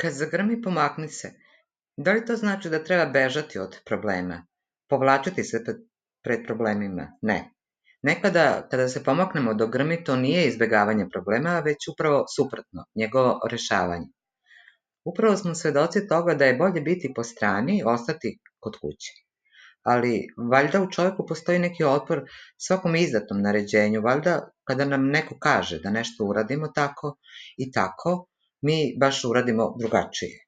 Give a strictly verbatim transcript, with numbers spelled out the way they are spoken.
Kad zagrmi, pomakni se. Da li to znači da treba bežati od problema? Povlačiti se pred, pred problemima? Ne. Nekada, kada se pomaknemo do grmi, to nije izbegavanje problema, već upravo suprotno, njegovo rešavanje. Upravo smo svedoci toga da je bolje biti po strani, ostati kod kuće. Ali valjda u čovjeku postoji neki otpor svakom izdatom naređenju, valjda kada nam neko kaže da nešto uradimo tako i tako, mi baš uradimo drugačije.